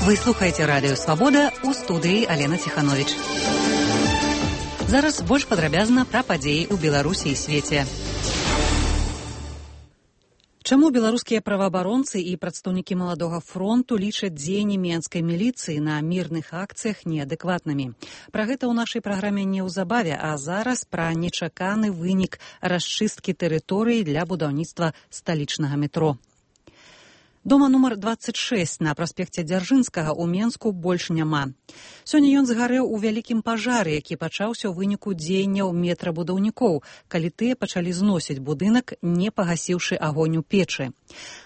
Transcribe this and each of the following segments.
Вы слухаеце радыё «Свабода», у студыі Алена Ціхановіч. Зараз больш падрабязна пра падзеі ў Беларусі і свеце. Чаму беларускія праваабаронцы і прадстаўнікі маладога фронту лічаць дзеянні менскай міліцыі на мірных акцыях неадэкватнымі? Пра гэта ў нашай праграме неўзабаве, а зараз пра нечаканы вынік расчысткі тэрыторыі для будаўніцтва сталічнага метро. Дома нумар 26 на праспекце Дзяржынскага ў Менску больш няма. Сёння ён згарэў у вялікім пажары, які пачаўся ў выніку дзеянняў метрабудаўнікоў, калі тыя пачалі зносіць будынак, не пагасіўшы агонь у печы.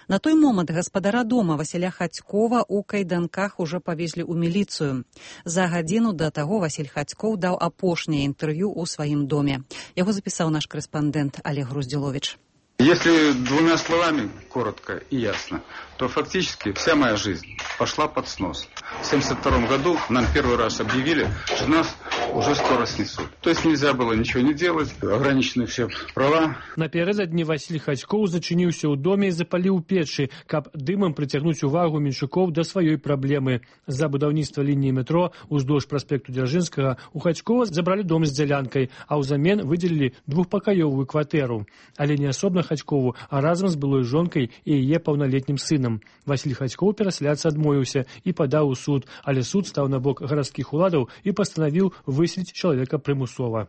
На той момант гаспадара дома Васіля Хацькова ў кайданках ужо павезлі ў міліцыю. За гадзіну да таго Васіль Хацькоў даў апошняе інтэрв'ю ў сваім доме. Яго запісаў наш корэспандэнт Олег Груздзіловіч. Если двумя словами, коротко и ясно, то фактически вся моя жизнь пошла под снос. В 1972 году нам первый раз объявили, что нас уже скоро снесут. То есть нельзя было ничего не делать, ограничены все права. Напярэдадні Васіль Хацькоў зачыніўся ў доме і запаліў печы, каб дымам прыцягнуць увагу менчукоў да сваёй праблемы. За будаўніцтва лініі метро уздоўж праспекту Дзяржынскага у Хацькова забралі дом з дзялянкай, а ўзамен выдзелілі двухпакаёвую кватэру. Але не асобна Хацькову, а разам з былой жонкай і яе паўналетнім сынам. Васіль Хацькоў перасяляцца адмовіўся і падаў у суд, але суд стаў на бок гарадскіх уладаў і пастанавіў выселіць чалавека прымусова.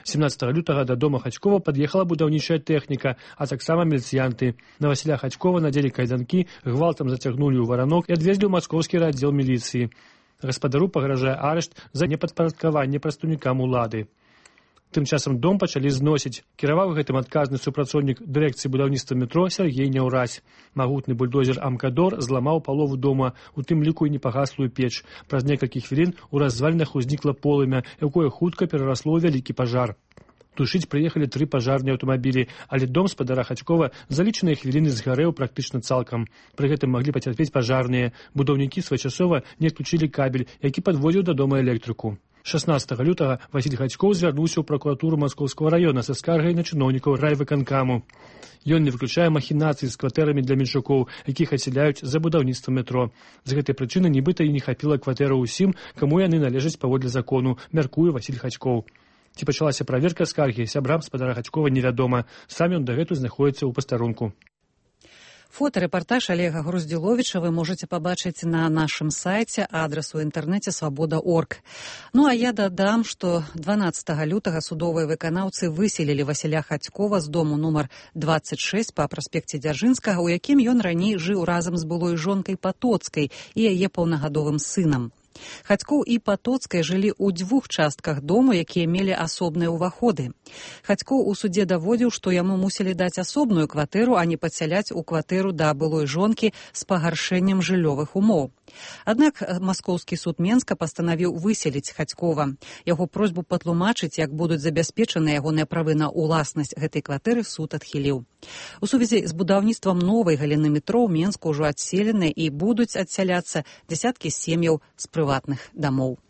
17 лютага да дома Хацькова пад'ехала будаўнічая тэхніка, а таксама міліцыянты. На Васіля Хацькова надзелі кайданкі, гвалтам зацягнулі ў варанок і адвезлі ў маскоўскі аддзел міліцыі. Гаспадару пагражае арышт за непадпарадкаванне прадстаўнікам улады. Тым часам дом пачалі зносіць. Кіраваў гэтым адказны супрацоўнік дырэкцыі будаўніцтва метро Сергей Няўразь. Магутны бульдозер Амкадор зламаў палову дома, у тым ліку і непагаслую печ. Праз некалькі хвілін у развалінах узнікла полымя, якое хутка перарасло ў вялікі пажар. Тушыць прыехалі 3 пажарныя аўтамабілі, але дом спадара Хацькова за лічаныя хвіліны згарэў практычна цалкам. Пры гэтым маглі пацярпець пажарныя. Будаўнікі своечасова не адключылі кабель, які падводзіў да дома электрику. 16 лютага Васіль Хацькоў звярнуўся ў пракуратуру Маскоўскага раёна са скаргай на чыноўнікаў райвыканкаму. Ён не выключае махінацыі з кватэрамі для менчукоў, якіх адсяляюць за будаўніцтва метро. З гэтай прычыны нібыта і не хапіла кватэру ўсім, каму яны належаць паводле закону, мяркуе Васіль Хацькоў. Ці пачалася праверка скаргі сябрам спадара Хацькова невядома. Сам ён дагэтуль знаходзіцца ў пастарунку. Фотарэпартаж Олега Груздзіловіча вы можаце пабачыць на нашым сайце, адрас у інтэрнэце свабода.орг. Ну а я дадам, што 12 лютага судовыя выканаўцы выселілі Васіля Хацькова з дому нумар 26 па праспекце Дзяржынскага, у якім ён раней жыў разам з былой жонкай Патоцкай і яе паўнагадовым сынам. Хацькоў і Патоцкая жылі ў 2 частках дому, якія мелі асобныя ўваходы. Хацькоў у судзе даводзіў, што яму мусілі даць асобную кватэру, а не падсяляць у кватэру да былой жонкі з пагаршэннем жыллёвых умоў. Аднак Маскоўскі суд Менска пастанавіў выселіць Хацькова. Яго просьбу патлумачыць, як будуць забяспечаны ягоныя правы на ўласнасць гэтай кватэры, суд адхіліў. У сувязі з будаўніцтвам новай галіны метро ў Менску ўжо адселены і будуць адсяляцца дзясяткі сем'яў з прыватных дамоў.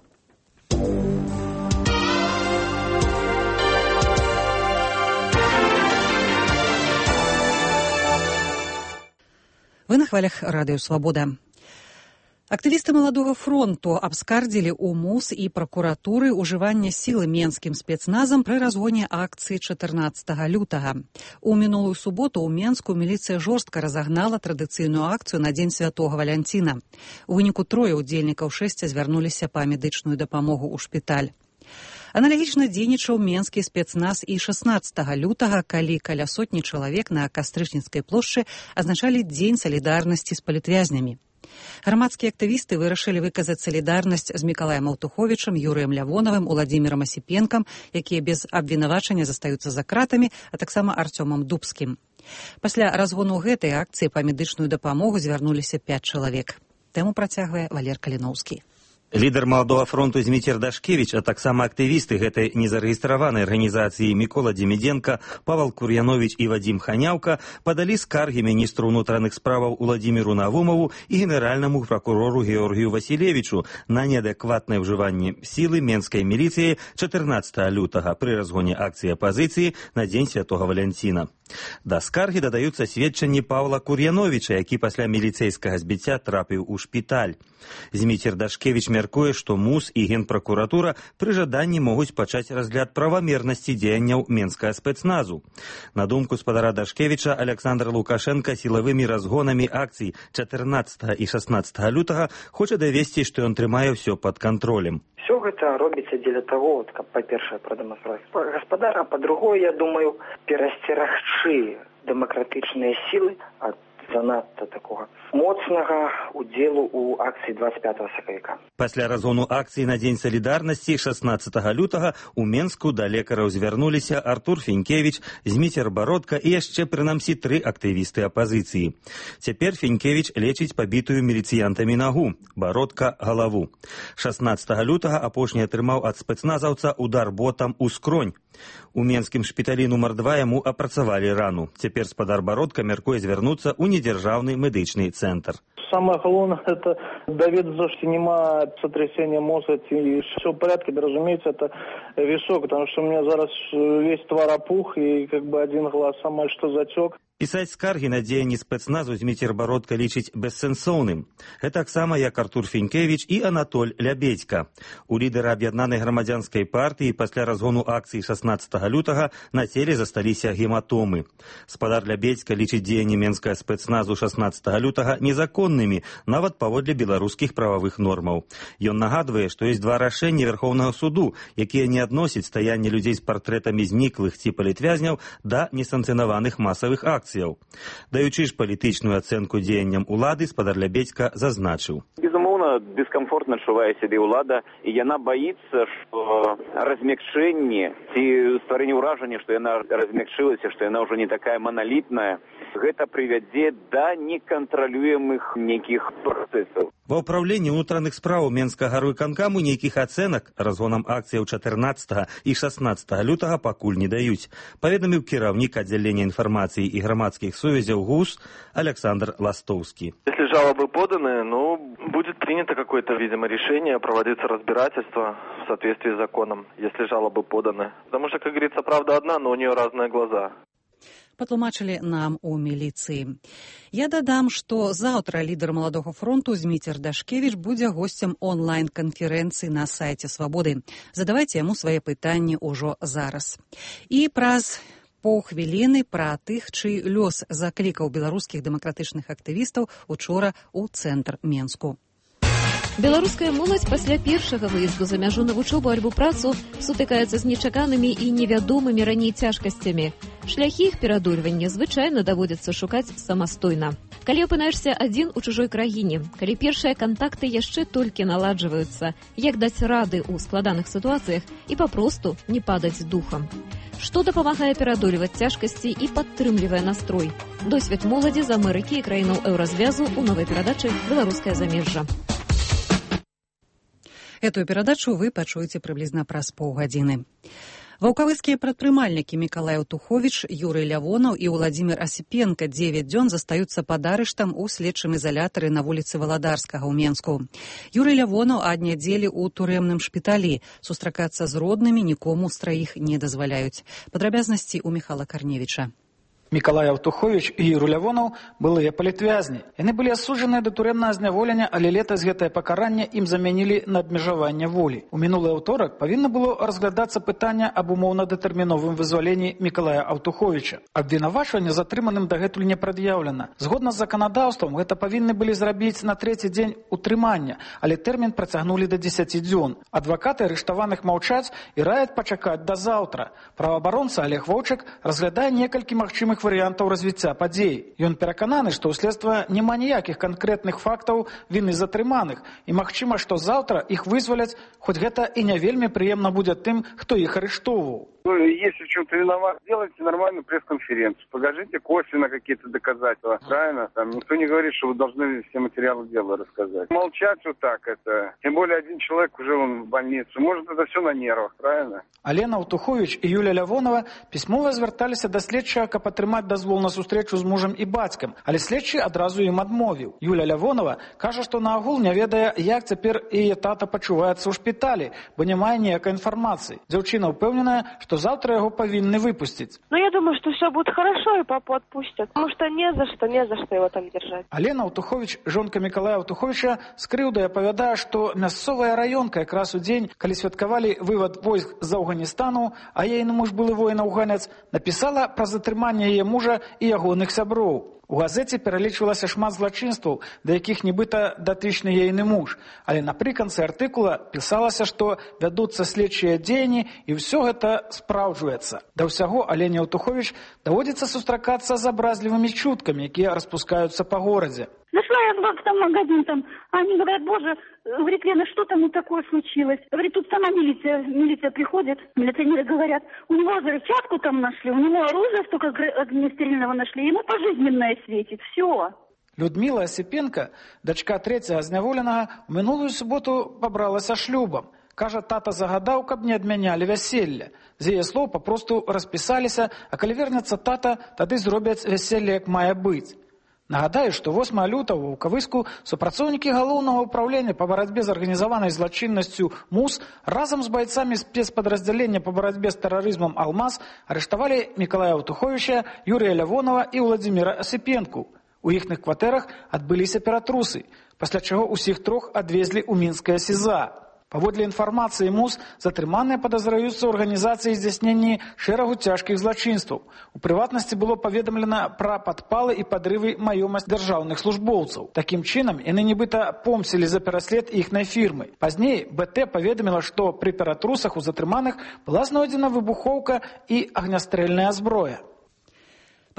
Вы на хвалях радыё «Свабода». Актывісты маладога фронту абскардзілі ў МУС і пракуратуры ўжыванне сілы менскім спецназам пры разгоне акцыі 14 лютага. У мінулую суботу ў Менску міліцыя жорстка разагнала традыцыйную акцыю на дзень святога Валянціна. У выніку 3 удзельнікаў 6 звярнуліся па медычную дапамогу ў шпіталь. Аналагічна дзейнічаў менскі спецназ і 16 лютага, калі каля сотні чалавек на Кастрычніцкай плошчы азначалі дзень салідарнасці з палітвязнямі. Грамадскія актывісты вырашылі выказаць салідарнасць з Мікалаем Аўтуховічам, Юрыем Лявонавым, Уладзімірам Асіпенкам, якія без абвінавачання застаюцца за кратамі, а таксама Арцёмам Дубскім. Пасля разгону гэтай акцыі па медычную дапамогу звярнуліся 5 чалавек. Тэму працягвае Валер Каліноўскі. Лідар маладога фронту Зміцер Дашкевіч, а таксама актывісты гэтай незарэгістраванай арганізацыі Мікола Демідзенка, Павал Кур'яновіч і Вадзім Ханяўка падалі скаргі міністру ўнутраных справаў Уладзіміру Навумову і генеральнаму пракурору Георгію Васілевічу на неадэкватнае ўжыванне сілы менскай міліцыі 14 лютага пры разгоне акцыі апазіцыі на дзень святога Валянціна. Да скаргі дадаюцца сведчанні Павла Кур'яновіча, які пасля міліцэйскага збіцця трапіў у шпіталь. Зміцер Дашкевіч мяркуе, што МУС і Генпракуратура пры жаданні могуць пачаць разгляд правамернасці дзеянняў менскага спецназу. На думку спадара Дашкевіча, Александр Лукашенко сілавымі разгонамі акцый 14 і 16 лютага хоча давесці, што ён трымае ўсё пад кантролем. Все гэта робіцца дзеля таго, каб, па-першае, прадэманстраваць гаспадара, а па-другое, я думаю, перасцерагчы дэмакратычныя сілы ад занадта такога моцнага удзелу ў акцыі 25 сакавіка. Пасля разгону акцыі на Дзень салідарнасці 16 лютага у Менску да лекараў звярнуліся Артур Фінкевіч, Зміцер Бародка і яшчэ прынамсі 3 актывісты апазіцыі. Цяпер Фінкевіч лечыць пабітую міліцыянтамі нагу, Бародка – галаву. 16 лютага апошні атрымаў ад спецназаўца удар ботам у скронь. У менскім шпіталі нумар 2 яму апрацавалі рану. Цяпер спадар Бародка мяркуе звярнуцца ў недзяржаўны медычны цэнтр. Самое главное, это доведаться, что нема сотрясения мозга, и все в порядке, да, разумеется, это висок, потому что у меня зараз весь твар опух, и как бы один глаз сама что затек. Пісаць скаргі на дзеянні спецназу Зміцер Бародка лічыць бессэнсоўным. Гэтаксама як Артур Фінкевіч і Анатоль Лябедзька. У лідара аб'яднанай грамадзянскай партыі пасля разгону акцыі 16 лютага на целе засталіся гематомы. Спадар Лябедзька лічыць дзеянні менскага спецназу 16 лютага незаконнымі, нават паводле беларускіх прававых нормаў. Ён нагадвае, што ёсць 2 рашэнні Верхоўнага суду, якія не адносяць стаянне людзей з партрэтамі зніклых ці палітвязняў да несанкцыянаваных масавых акцый. Даючы ж палітычную ацэнку дзеянням улады, спадар Лябедзька зазначыў. Безумоўна, дыскамфортна адчувае сябе ўлада, і яна баіцца, што размякчэнне ці стварэнне ўражання, што яна размякчылася, што яна ўжо не такая маналітная, гэта прывядзе да некантралюемых нейкіх працэсаў. Ва ўпраўленні ўнутраных спраў Менскага гарвыканкаму нейкіх ацэнак разгонам акцыяў 14 і 16 лютага пакуль не даюць, паведаміў кіраўнік аддзялення інфармацыі і грамадскіх сувязяў ГУС Александр Ластоўскі. Если жалобы поданы, будет принято какое-то, видимо, решение, проводиться разбирательство в соответствии с законом, если жалобы поданы. Потому что, как говорится, правда одна, но у нее разные глаза. Патлумачылі нам у міліцыі. Я дадам, што заўтра лідар Маладога фронту Зміцер Дашкевіч будзе госцем онлайн-канферэнцыі на сайце Свабоды. Задавайце яму свае пытанні ўжо зараз. І праз паўхвіліны пра тых, чый лёс заклікаў беларускіх дэмакратычных актывістаў учора ў цэнтр Менску. Беларуская моладзь пасля першага выезду за мяжу на вучобу альбо працу сутыкаецца з нечаканымі і невядомымі раней цяжкасцямі. Шляхі іх пераадольвання звычайна даводзіцца шукаць самастойна. Калі апынаешся адзін у чужой краіне, калі першыя кантакты яшчэ толькі наладжваюцца, як даць рады ў складаных сітуацыях і папросту не падаць духам. Што дапамагае пераадольваць цяжкасці і падтрымлівае настрой? Досвед моладзі з Амерыкі і краінаў еўразвязу ў новай перадачы «Беларускае замежжа». Эту перадачу вы пачуеце прыблізна праз паўгадзіны. Ваўкавыцкія прадпрымальнікі Мікалай Аўтуховіч, Юрый Лявонаў і Владзімір Асіпенка 9 дзён застаюцца пад арыштам у следчым изалятары на вуліцы Валадарскага ў Менску. Юрый Лявонаў ад нядзелі ў турэмным шпіталі. Сустракацца з роднымі нікому з траіх не дазваляюць. Падрабязнасці ў Міхала Карневіча. Мікалай Аўтуховіч і Юрый Лявонаў былыя палітвязні. Яны былі асуджаныя да турэмнага зняволення, але летась гэтае пакаранне ім замянілі на абмежаванне волі. У мінулы аўторак павінна было разглядацца пытанне аб умоўна-дэтэрміновым вызваленні Мікалая Аўтуховіча. Абвінавачванне затрыманым дагэтуль не прад'яўлена. Згодна з заканадаўствам, гэта павінны былі зрабіць на 3-й дзень утрымання, але тэрмін працягнулі да 10 дзён. Адвакаты арыштаваных маўчаць і раяць пачакаць да заўтра. Праваабаронца Олег Воўчык разглядае некалькі магчымых варыянтаў развіцця падзей. Ён перакананы, што ў следства няма ніякіх канкрэтных фактаў віны затрыманых і магчыма, што заўтра іх вызваляць, хоць гэта і не вельмі прыемна будзе тым, хто іх арыштоўваў. Если в чем-то виноват, сделайте нормальную пресс-конференцию, покажите косвенно какие-то доказательства, правильно? Там никто не говорит, что вы должны все материалы дела рассказать. Молчать вот так это, тем более один человек уже он в больнице, может это все на нервах, правильно? Алена Аўтуховіч і Юля Лявонова пісьмова звярталіся да следчага, каб атрымаць атрымаць дазвол на сустрэчу з мужам і бацькам, але следчы адразу ім адмовіў. Юля Лявонова кажа, што наогул не ведае, як цяпер яе тата пачуваецца ў шпіталі, бо не мае ніякай інфармацыі. Дзяўчына ўпэўненая, што заўтра яго павінны выпусціць. Я думаю, что все будет хорошо и папу отпустят, потому что не за что его там держать. Алена Аўтуховіч, жонка Мікалая Аўтуховіча, з крыўдай апавядае, што мясцовая раёнка якраз у дзень, калі святкавалі вывад войск з Афганістану, а ейны муж былы воін-афганец, напісала пра затрыманне яе мужа і ягоных сяброў. У газеце пералічвалася шмат злачынстваў, да якіх нібыта датычны ейны муж. Але напрыканцы артыкула пісалася, што вядуцца следчыя дзеянні і ўсё гэта спраўджваецца. Да ўсяго Алене Аўтуховіч даводзіцца сустракацца з абразлівымі чуткамі, якія распускаюцца па горадзе. Зашла я в магазин, там, они говорят, боже, говорит, Лена, что там такое случилось? Говорит, тут сама милиция приходит, милиционеры говорят, у него взрывчатку там нашли, у него оружие столько огнестрельного нашли, ему пожизненное светит, все. Людмила Осипенко, дачка трэцяга зняволенага, у мінулую суботу пабралася шлюбам. Кажа, тата загадаў, каб не адмянялі вяселле. З яе слоў папросту распісаліся, а калі вернецца тата, тады зробяць вяселле, як мае быць. Нагадаю, што 8 лютага ў Кавыску супрацоўнікі галоўнага ўправлення па барацьбе з арганізаванай злачыннасцю МУС разам з байцамі спецпадраздзялення па барацьбе з тэрарызмам «Алмаз» арыштавалі Мікалая Аўтуховіча, Юрія Лявонова і Владзіміра Асіпенку. У іхных кватэрах адбыліся ператрусы, пасля чаго ўсіх трох адвезлі ў мінскае СІЗА. Паводле інфармацыі МУС, затрыманыя падазраюцца ў арганізацыі здзяйснення шэрагу цяжкіх злачынстваў. У прыватнасці было паведамлена пра падпалы і падрывы маёмасць дзяржаўных службоўцаў. Такім чынам, яны нібыта помсілі за пераслед іхнай фірмы. Пазней БТ паведаміла, што пры ператрусах у затрыманых была знойдзена выбухоўка і агнястрэльная зброя.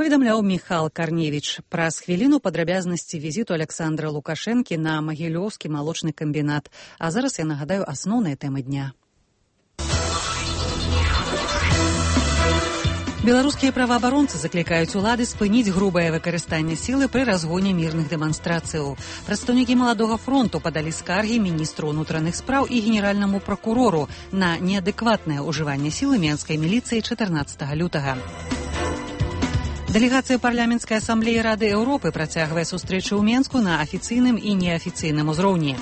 Паведамляў Міхал Карневіч. Праз хвіліну падрабязнасці візіту Александра Лукашэнкі на Магілёўскі малочны камбінат. А зараз я нагадаю асноўныя тэмы дня. Беларускія праваабаронцы заклікаюць улады спыніць грубае выкарыстанне сілы пры разгоне мірных дэманстрацыяў. Прадстаўнікі Маладога фронту падалі скаргі міністру ўнутраных спраў і генеральнаму пракурору на неадэкватнае ўжыванне сілы менскай міліцыі 14 лютага. Дэлегацыя парламенцкай асамблеі Рады Еўропы працягвае сустрэчы ў Менску на афіцыйным і неафіцыйным узроўні.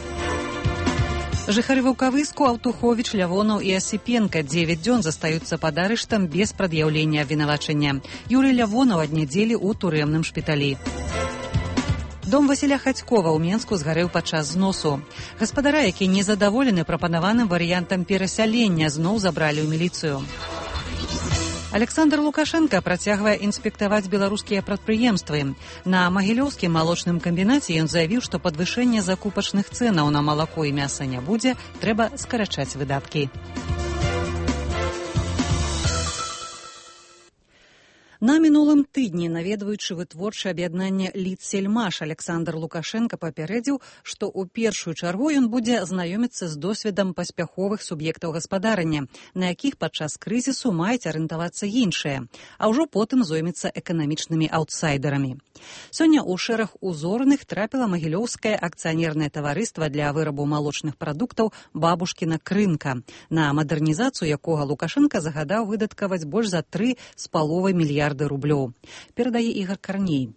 Жыхары Ваўкавыску, Аўтуховіч, Лявонаў і Асіпенка 9 дзён застаюцца пад арыштам без прад'яўлення абвінавачання. Юрый Лявонаў ад нядзелі ў турэмным шпіталі. Дом Васіля Хацькова ў Менску згарэў падчас зносу. Гаспадара, які незадаволены прапанаваным варыянтам перасялення, зноў забралі ў міліцыю. Александр Лукашенко працягвае інспектаваць беларускія прадпрыемствы. На Магілёўскім малочным камбінаце ён заявіў, што падвышэння закупачных цэнаў на малако і мяса не будзе, трэба скарачаць выдаткі. На мінулым тыдні, наведваючы вытворчае аб'яднанне «Лідсельмаш», Александр Лукашенко папярэдзіў, што ў першую чаргу ён будзе знаёміцца з досведам паспяховых суб'ектаў гаспадарання, на якіх падчас крызісу маюць арыентавацца іншыя, а ўжо потым зоймецца эканамічнымі аўтсайдарамі. Сёння ў шэраг узорных трапіла Магілёўскае акцыянернае таварыства для вырабу малочных прадуктаў «Бабушкіна крынка», на мадэрнізацыю якога Лукашенко загадаў выдаткаваць больш за 3,5 мільярды рублёў. Перадае Ігор Карней.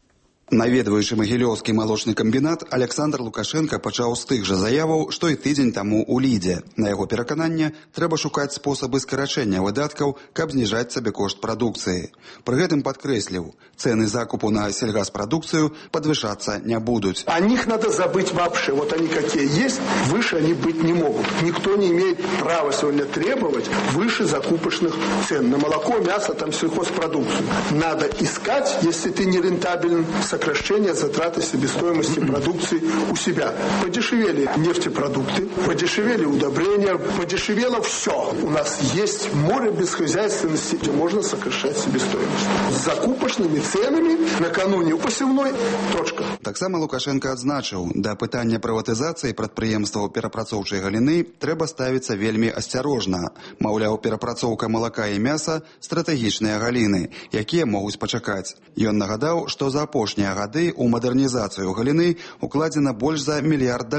Наведваючы Магілёўскі малочны камбінат, Александр Лукашенко пачаў з тых жа заяваў, што і тыдзень таму ў Лідзе. На яго перакананне, трэба шукаць спосабы скарачэння выдаткаў, каб зніжаць сабекошт прадукцыі. Пры гэтым падкрэсліў, цэны закупу на сельгаспрадукцыю падвышацца не будуць. О них надо забыть вообще. Вот они какие есть, выше они быть не могут. Никто не имеет права сегодня требовать выше закупочных цен на молоко, мясо, там сельхозпродукцию. Надо искать, если ты не рентабелен, сокращение затраты себестоимости продукции у себя. Подешевели нефтепродукты, подешевели удобрения, подешевело все. У нас есть море бесхозяйственности, где можно сокращать себестоимость. С закупочными ценами накануне посевной точка. Таксама Лукашенко адзначыў, да пытання прыватызацыі прадпрыемстваў перапрацоўчай галіны трэба ставіцца вельмі асцярожна. Маўляў, перапрацоўка малака і мяса – стратэгічныя галіны, якія могуць пачакаць. Ён нагадаў, што за апошнія гады ў мадэрнізацыю галіны укладзена больш за $1 мільярд.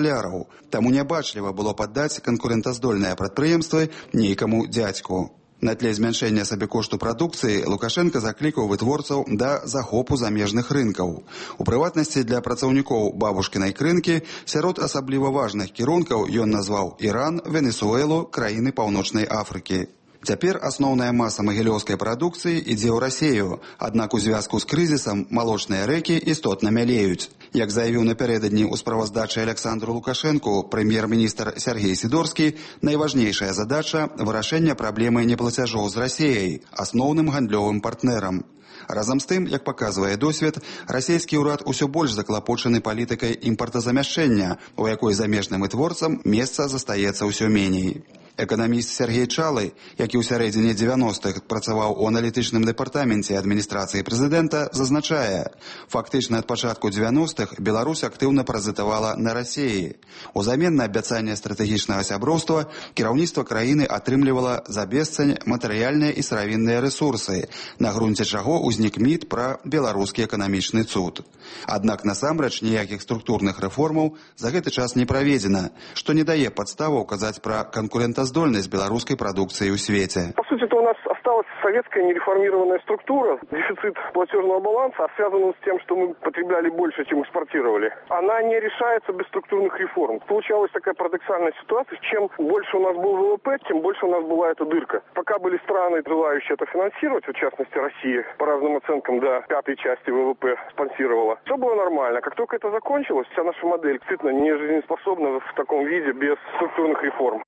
Таму нябачліва было паддаць канкурэнтаздольныя прадпрыемствы нейкаму дзядзьку. На тле змяншэння сабекошту прадукцыі Лукашенко заклікаў вытворцаў да захопу замежных рынкаў. У прыватнасці для працаўнікоў бабушкінай крынкі сярод асабліва важных кірункаў ён назваў Іран, Венесуэлу, краіны Паўночнай Афрыкі. Цяпер асноўная маса магілёўскай прадукцыі ідзе ў Расею, аднак у звязку з крызісам малочныя рэкі істотна мялеюць. Як заявіў напярэдадні ў справаздачы Александру Лукашэнку прэм'ер-міністр Сергей Сідорскі, найважнейшая задача – вырашэнне праблемы неплацяжоў з Расеяй, асноўным гандлёвым партнерам. Разам з тым, як паказвае досвед, расійскі ўрад усё больш заклапочаны палітыкай імпартазамяшчэння, у якой замежным вытворцам месца застаецца ўсё меней. Эканаміст Сергей Чалы, які ў сярэдзіне 90-х працаваў у аналітычным дэпартаменце адміністрацыі прэзідэнта, зазначае, фактычна ад пачатку 90-х Беларусь актыўна паразітавала на Расеі. Узамен на абяцанне стратэгічнага сяброўства кіраўніцтва краіны атрымлівала за бесцань матэрыяльныя і сыравінныя рэсурсы, на грунце чаго ўзнік міт пра беларускі эканамічны цуд. Аднак насамрэч ніякіх структурных рэформаў за гэты час не праведзена, што не дае падставаў казаць пра конкурентоздольность белорусской продукции в свете. По сути, это у нас осталась советская нереформированная структура. Дефицит платежного баланса связан с тем, что мы потребляли больше, чем экспортировали. Она не решается без структурных реформ. Получалась такая парадоксальная ситуация. Чем больше у нас был ВВП, тем больше у нас была эта дырка. Пока были страны, желающие это финансировать, в частности Россия, по разным оценкам до 5-й части ВВП спонсировала, все было нормально. Как только это закончилось, вся наша модель действительно не жизнеспособна в таком виде без структурных реформ.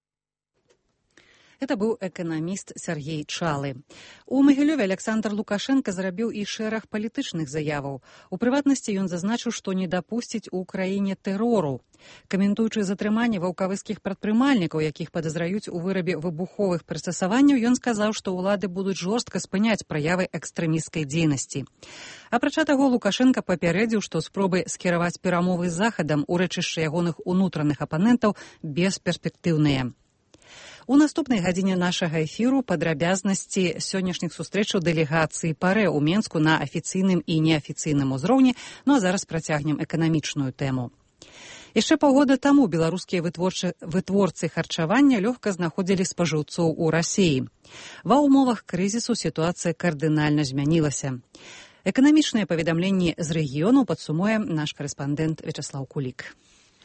Это быў эканаміст Сергей Чалы. У Магілёве Александр Лукашенко зрабіў і шэраг палітычных заяваў. У прыватнасці ён зазначыў, што не дапусціць у краіне тэрору. Каментуючы затрыманне ваўкавыскіх прадпрымальнікаў, якіх падазраюць у вырабе выбуховых прыстасаванняў, ён сказаў, што ўлады будуць жорстка спыняць праявы экстрэмісцкай дзейнасці. Апрача таго, Лукашенко папярэдзіў, што спробы скіраваць перамовы з захадам у рэчышча ягоных унутраных апанентаў бесперспектыўныя. У наступнай гадзіне нашага эфіру падрабязнасці сённяшніх сустрэчаў дэлегацыі ПАРЭ ў Менску на афіцыйным і неафіцыйным узроўні, ну а зараз працягнем эканамічную тэму. Яшчэ паўгода таму беларускія вытворцы харчавання лёгка знаходзілі спажыўцоў у Расеі. Ва ўмовах крызісу сітуацыя кардынальна змянілася. Эканамічныя паведамленні з рэгіёну падсумуе наш карэспандэнт Вячаслаў Кулік.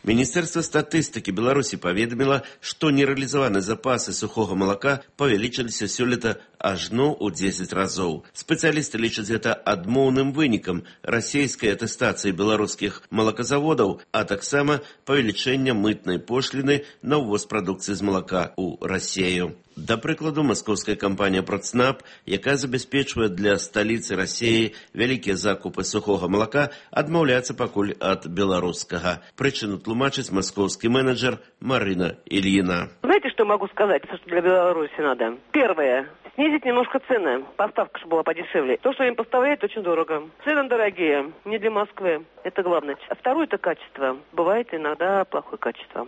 Министерство статистики Беларуси поведомило, что нереализованные запасы сухого молока павялічыліся сёлета ажно ў 10 разоў. Спецыялісты лічаць гэта адмоўным вынікам расійскай атэстацыі беларускіх малаказаводаў, а таксама павелічэння мытнай пошліны на ўвоз прадукцыі з малака ў Расею. Да прыкладу, маскоўская кампанія «Процнаб», якая забяспечвае для сталіцы Расеі вялікія закупы сухога малака, адмаўляецца пакуль ад беларускага. Прычыну тлумачыць маскоўскі менеджер Марина Ильина. Знаете, что могу сказать, что для Беларуси надо? Первое. Снизить немножко цены. Поставка же была подешевле. То, что им поставляют, очень дорого. Цены дорогие. Не для Москвы. Это главное. А второе – это качество. Бывает иногда плохое качество.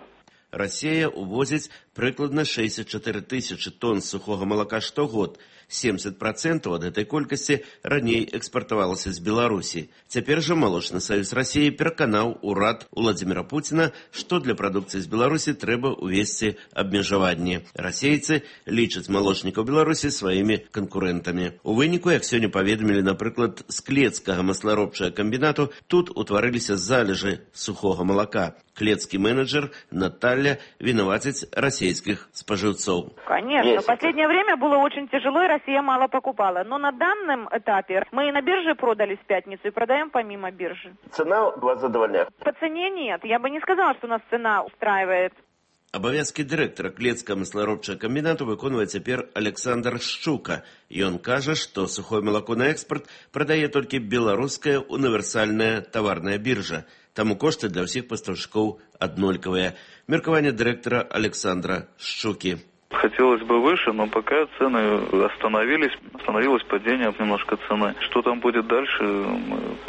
Россия увозит прыкладна 64 тысячи тонн сухого молока штогод. 70% ад гэтай колькасці раней экспартавалася з Беларусі. Цяпер жа Малочны саюз Расіі пераканаў урад Владзіміра Пуціна, што для прадукцыі з Беларусі трэба ўвесці абмежаванні. Расейцы лічаць малочнікаў Беларусі сваімі канкурэнтамі. У выніку, як сёння паведамілі, напрыклад, з клецкага масларобчага комбінату, тут утварыліся залежы сухога молока. Клецкий менеджер Наталья виноватить российских споживцов. Конечно. В последнее время было очень тяжело, и Россия мало покупала. Но на данном этапе мы и на бирже продали в пятницу, и продаем помимо биржи. Цена вас задовольняет? По цене нет. Я бы не сказала, что нас цена устраивает. Абавязкі дырэктара клецкага масларобчага камбінату выконвае цяпер Александр Шчука. Ён кажа, што сухое малако на экспорт прадае толькі беларуская універсальная таварная биржа. Таму кошты для ўсіх пастаўшчыкоў аднолькавыя. Меркаванне дырэктара Александра Шчуки. Хотелось бы выше, но пока цены остановилось падение немножко цены. Что там будет дальше,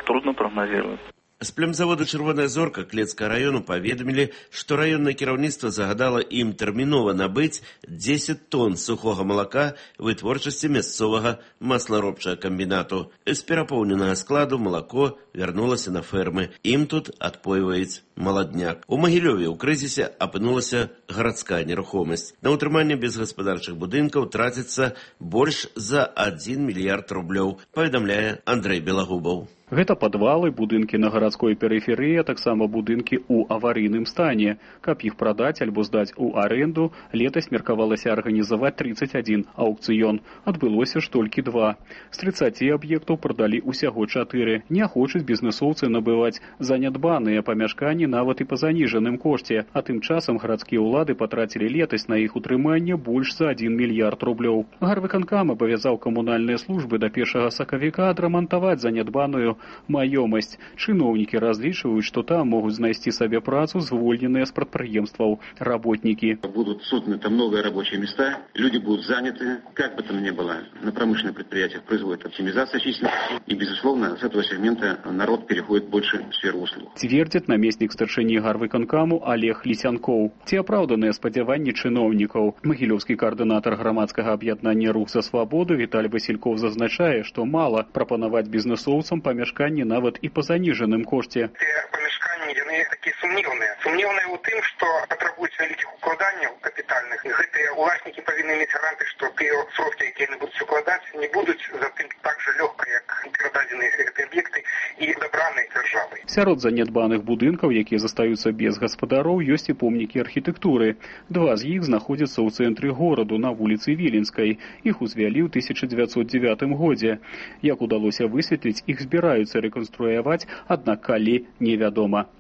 трудно прогнозировать. З племзавода «Чырвоная зорка» Клецкага району паведамілі, што раённае кіраўніцтва загадала ім тэрмінова набыць 10 тонн сухога малака вытворчасці мясцовага масларобчага камбінату. З перапоўненага складу малако вярнулася на фермы. Ім тут адпойваюць маладняк. У Магілёве ў крызісе апынулася гарадская нерухомасць. На ўтрыманне безгаспадарчых будынкаў траціцца больш за 1 мільярд рублёў, паведамляе Андрэй Белагубаў. Гэта падвалы, будынкі на гарадской перыферыі, а таксама будынкі ў аварыйным стане. Каб іх прадаць альбо здаць у арэнду, летась меркавалася арганізаваць 31 аўкцыён. Адбылося ж толькі 2. З 30 аб'ектаў прадалі ўсяго 4. Не хочуць бізнэсоўцы набываць занядбаныя памяшканні нават і па заніжаным кошце, а тым часам гарадскія ўлады патрацілі летась на іх утрыманне больш за 1 мільярд рублёў. Гарвыканкам абавязаў камунальныя службы да 1 сакавіка адрамантаваць занядбаную маёмасць. Чыноўнікі разлічваюць, што там могуць знайсці сабе працу звольненыя з прадпрыемстваў работнікі. Будут созданы там новые рабочие места, люди будут заняты, как бы там ни было. На промышленных предприятиях производит оптимизация численности, и, безусловно, с этого сегмента народ переходит больше в сферу услуг. Цвердзіць намеснік старшыні гарвыканкаму Олег Лісянкоў. Ці апраўданыя спадзяванні чыноўнікаў? Магілёўскі каардынатар грамадскага аб'яднання «Рух за свабоду» Віталь Васільков зазначае, што мала прапанаваць бізнэсоўцам памяшканні нават і па заніжаным кошце. Памяшканні, яны такія сумнеўныя. Сумнеўныя ў тым, што патрабуюць вялікіх укладанняў капітальных. Гэтыя ўласнікі павінны мець гаранты, што тыя сродкі, якія яны будуць укладаць, не будуць затым так жа лёгка, як перададзеныя гэтыя аб'екты і дабраныя дзяржавай. Сярод занядбаных будынкаў, якія застаюцца без гаспадароў, ёсць і помнікі архітэктуры. 2 з іх знаходзяцца ў цэнтры гораду на вуліцы Віленскай. Іх узвялі ў 1909 годзе. Як удалося высветліць, іх збіраюцца рэканструяваць, аднак калі невядома.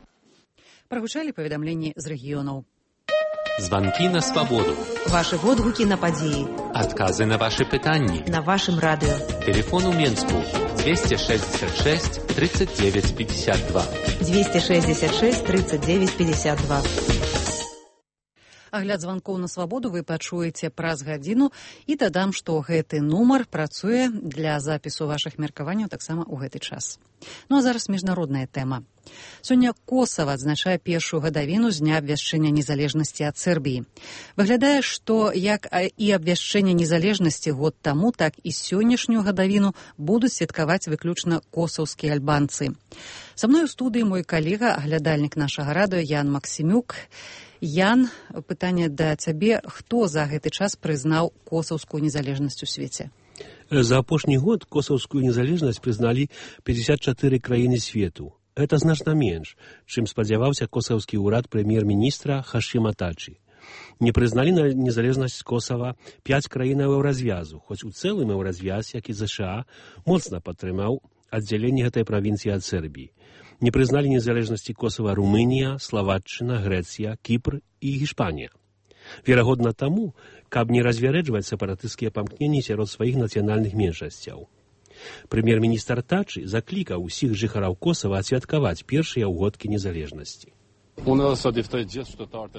Прагучалі паведамленні з рэгіёнаў. Званкі на свабоду. Вашы водгукі на падзеі. Адказы на вашы пытанні. На вашым радыё. Тэлефон у Менску 266 39 52. 266 39 52. Агляд званкоў на свабоду вы пачуеце праз гадзіну і дадам, што гэты нумар працуе для запісу вашых меркаванняў таксама ў гэты час. Ну а зараз міжнародная тэма. Сёння Косава адзначае першую гадавіну з дня абвяшчэння незалежнасці ад Сербіі. Выглядае, што як і абвяшчэнне незалежнасці год таму, так і сённяшнюю гадавіну будуць святкаваць выключна косаўскія альбанцы. Са мной у студыі мой калега, аглядальнік нашага радыё Ян Максімюк. Ян, пытанне да цябе, хто за гэты час прызнаў косаўскую незалежнасць у свеце? За апошні год косаўскую незалежнасць прызналі 54 краіны свету. Это значна менш, чым спадзяваўся косаўскі ўрад прэм'ер-міністра Хашима Тачи. Не прызналі незалежнасць Косава 5 краінаў еўразвязу, хоць у цэлым еўразвяз, як і ЗША, моцна падтрымаў аддзяленне гэтай правінцыі ад Сербіі. Не прызналі незалежнасці Косава Румынія, Славатчына, Грэцыя, Кіпр і Гішпанія. Верагодна таму, каб не развярэджваць сепаратысцкія памкненні сярод сваіх нацыянальных меншасцяў. Прэм'ер-міністр Тачи заклікаў усіх жыхараў Косава адсвяткаваць першыя ўгодкі незалежнасці.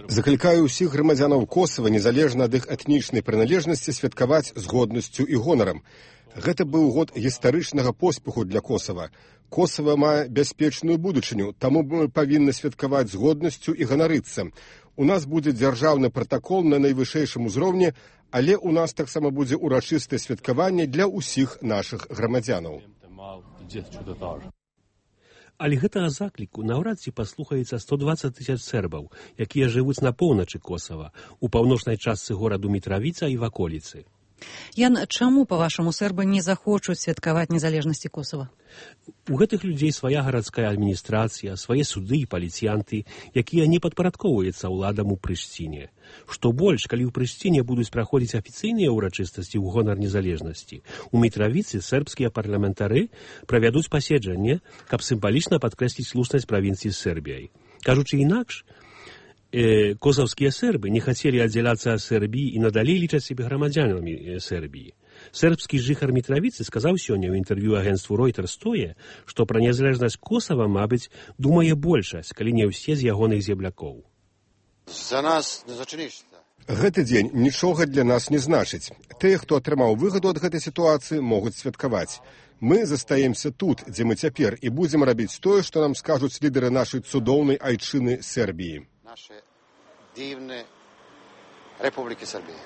Заклікаю ўсіх грамадзянаў Косава, незалежна ад іх этнічнай прыналежнасці, святкаваць з годнасцю і гонарам. Гэта быў год гістарычнага поспеху для Косава. Косава мае бяспечную будучыню, таму мы павінны святкаваць з годнасцю і ганарыцца. У нас будзе дзяржаўны пратакол на найвышэйшым узроўні, але ў нас таксама будзе урачыстае святкаванне для ўсіх нашых грамадзянаў. Але гэтага закліку наўрад ці паслухаецца 120 000 сербаў, якія жывуць на поўначы Косава, у паўночнай частцы гораду Мітравіца і ваколіцы. Ян, чаму, па-вашаму, сербы не захочуць святкаваць незалежнасці Косава? У гэтых людзей свая гарадская адміністрацыя, свае суды і паліцыянты, якія не падпарадкоўваюцца ўладам у Прыштіне. Што больш, калі ў Прыштіне будуць праходзіць афіцыйныя ўрачыстасці ў гонар незалежнасці, у Мітравіцы сербскія парламентары правядуць паседжанне, каб сімвалічна падкрэсліць слушнасць правінцыі з Сербіяй. Кажучы інакш, косаўскія сербы не хацелі аддзяляцца ад Сербіі і надалей лічаць сябе грамадзянамі Сербіі. Сербскі жыхар Мітравіцы сказаў сёння ў інтэрв'ю агенцтву Reuters тое, што пра незалежнасць Косава, мабыць, думае большасць, калі не ўсе з ягоных землякоў. За нас не зачынішся. Гэты дзень нічога для нас не значыць. Тыя, хто атрымаў выгаду ад гэтай сітуацыі, могуць святкаваць. Мы застаемся тут, дзе мы цяпер, і будзем рабіць тое, што нам скажуць лідары нашай цудоўнай айчыны Сербіі. Naše divne Republike Srbije.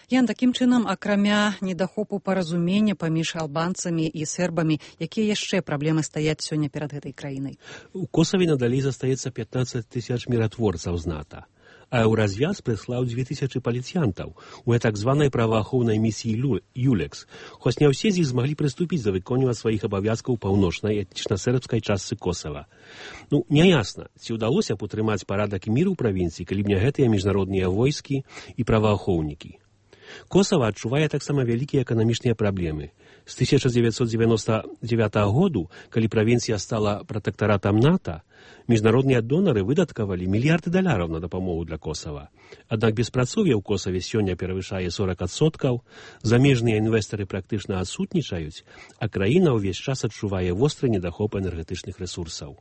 Ян, такім чынам, акрамя недахопу паразумення паміж албанцамі і сербамі, якія яшчэ праблемы стаяць сёння перад гэтай краінай? У Косаве надалей застаецца 15 тысяч міратворцаў з НАТО. А Еўразвяз прыслаў 2000 паліцыянтаў у так званай праваахоўнай місіі ЮЛЕКС, хоць не ўсе з іх змаглі прыступіць да выконвання сваіх абавязкаў паўночнай этнічна-сербскай частцы Косава. Няясна, ці ўдалося б утрымаць парадак і мір у правінцыі, калі б не гэтыя міжнародныя войскі і праваахоўнікі. Косава адчувае таксама вялікія эканамічныя праблемы. З 1999 году, калі правінцыя стала пратэктаратам НАТО, міжнародныя донары выдаткавалі мільярды даляраў на дапамогу для Косава. Аднак беспрацоўе ў Косаве сёння перавышае 40%, замежныя інвестары практычна адсутнічаюць, а краіна ўвесь час адчувае востры недахоп энергетычных рэсурсаў.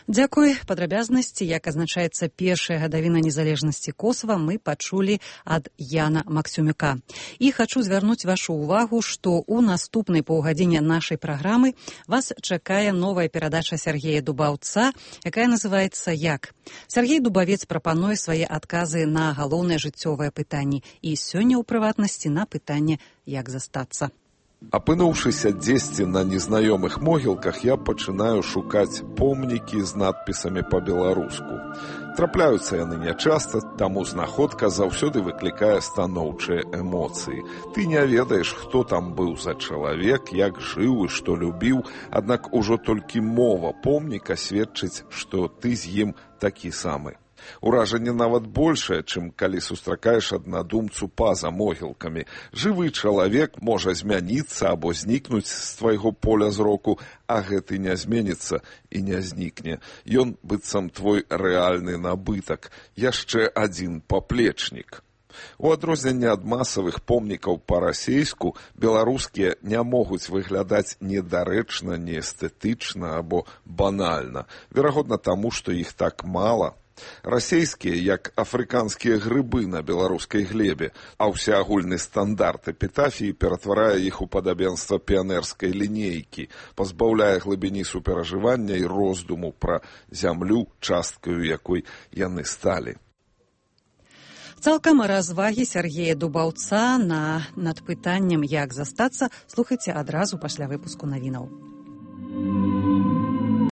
Дзякуй. Падрабязнасці, як азначаецца першая гадавіна незалежнасці Косава, мы пачулі ад Яна Максюмюка. І хачу звярнуць вашу ўвагу, што ў наступнай паўгадзіне нашай праграмы вас чакае новая перадача Сергея Дубаўца, якая называецца «Як?». Сергей Дубавец прапануе свае адказы на галоўныя жыццёвыя пытанні і сёння ў прыватнасці на пытанне «Як застацца?». Апынуўшыся дзесьці на незнаёмых могілках, я пачынаю шукаць помнікі з надпісамі па-беларуску. Трапляюцца яны нячаста, таму знаходка заўсёды выклікае станоўчыя эмоцыі. Ты не ведаеш, хто там быў за чалавек, як жыў і што любіў, аднак ужо толькі мова помніка сведчыць, што ты з ім такі самы. Уражанне нават большае, чым калі сустракаеш аднадумцу па-за могілкамі. Жывы чалавек можа змяніцца або знікнуць з твайго поля зроку, а гэты не зменіцца і не знікне. Ён быццам твой рэальны набытак, яшчэ адзін паплечнік. У адрозненне ад масавых помнікаў па-расейску, беларускія не могуць выглядаць недарэчна, неэстэтычна або банальна. Верагодна таму, што іх так мала. Расейскія, як афрыканскія грыбы на беларускай глебе, а ўсеагульны стандарт эпітафіі ператварае іх у падабенства піянерскай лінейкі, пазбаўляе глыбіні суперажывання і роздуму пра зямлю, часткаю якой яны сталі. Цалкам развагі Сергея Дубаўца над пытаннем «Як застацца» слухайце адразу пасля выпуску навінаў.